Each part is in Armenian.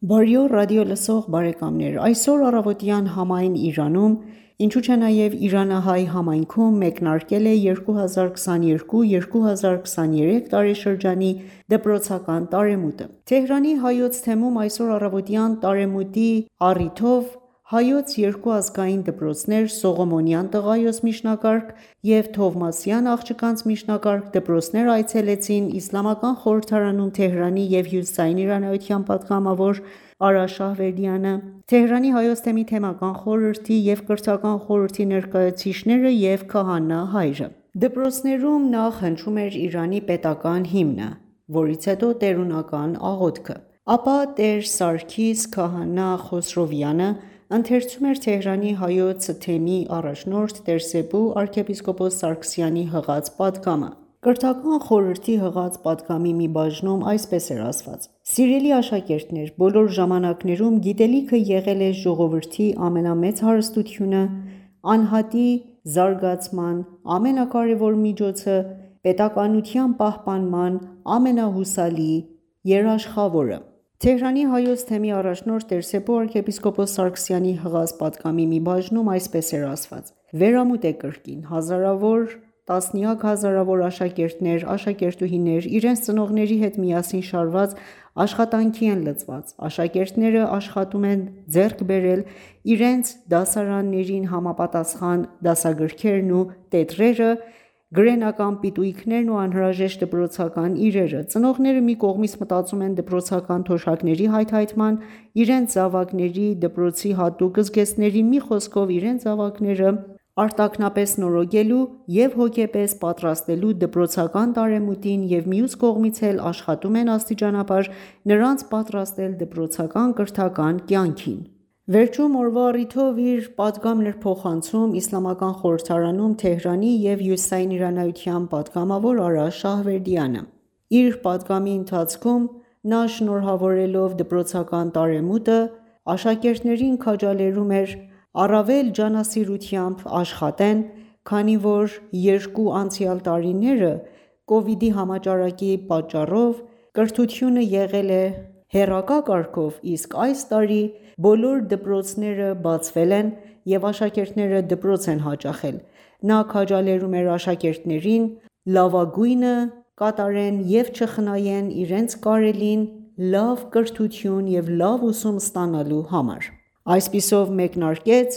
Բարի օր ռադիո լսող բարեկամներ: Այսօր առավոտյան համայն Իրանում, ինչու չէ նաև իրանահայ համայնքում մեկնարկել է 2022-2023 տարեշրջանի դպրոցական տարեմուտը: Թեհրանի Հայոց թեմում այսօր առավոտյան տարեմուտի առիթով Հայոց երկու ազգային դպրոցներ՝ Սողոմոնյան տղայոց միջնակարգ և Թովմասյան աղջկանց միջնակարգ դպրոցներ այցելեցին Իսլամական խորհրդարանում Թեհրանի և Հյուսիսային իրանայության պատգամավոր Արա Շահվերդյանը, Թեհրանի Հայոց թեմի թեմական խորհրդի և կրթական խորհրդի ներկայացուցիչները և քահանա հայրը: Դպրոցներում նախ հնչում էր Իրանի պետական հիմնը, որից հետո տերունական աղոթքը: Ապա տեր Սարգիս քահանա Խոսրովյանը ընթերցում էր Թեհրանի Հայոց թեմի առաջնորդ տեր.Սեբու arczepiskopos Սարգսյանի հղած պատգամը: Կրթական խորհրդի հղած պատգամի մի բաժնում այսպես էր ասված.«Սիրելի աշակերտներ, բոլոր ժամանակներում գիտելիքը եղել է ժողովրդի ամենամեծ հարստությունը, անհատի զարգացման ամենակարևոր միջոցը, պետականության պահպանման ամենահուսալի երաշխավորը»: Թեհրանի Հայոց թեմի առաջնորդ տեր.Սեբու arczepiskopos Սարգսյանի հղած պատգամի մի բաժնում այսպես էր ասված.«Վերամուտ է կրկին, հազարավոր, տասնյակ հազարավոր աշակերտներ, աշակերտուհիներ իրենց ծնողների հետ միասին շարված աշխատանքի են լծված: Աշակերտները աշխատում են ձեռք բերել իրենց դասարաններին համապատասխան դասագրքերն ու տետրերը, գրենական պիտույքներն ու անհրաժեշտ դպրոցական իրերը: Ծնողները մի կողմից մտածում են դպրոցական թոշակների հայթայթման, իրենց զավակների դպրոցի հատուկ զգեստների, մի խոսքով իրենց զավակները արտաքնապես նորոգելու և հոգեպես պատրաստելու դպրոցական տարեմուտին և մյուս կողմից էլ աշխատում են աստիճանաբար նրանց պատրաստել դպրոցական կրթական կյանքին»: Վերջում օրվա առիթով իր պատգամն էր փոխանցում Իսլամական խորհրդարանում Թեհրանի և Հյուսիսային իրանայության պատգամավոր Արա Շահվերդյանը: Իր պատգամի ընթացքում նա շնորհավորելով դպրոցական տարեմուտը, աշակերտներին քաջալերում էր առավել ջանասիրությամբ աշխատեն, քանի որ երկու անցյալ տարիները կովիդի համաճարակի պատճառով կրթությունը եղել է հեռակա կարգով, իսկ այս տարի բոլոր դպրոցները բացվել են և աշակերտները դպրոց են հաճախել: Նա քաջալերում էր աշակերտներին լավագույնը կատարեն և չխնայեն իրենց կարելին լավ կրթություն և լավ ուսում ստանալու համար: Այսպիսով մեկնարկեց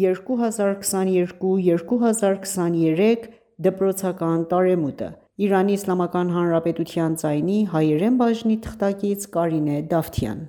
2022-2023 դպրոցական տարեմուտը: Իրանի Իսլամական Հանրապետության ձայնի հայերեն բաժնի թղթակից Կարինե Դավթյան: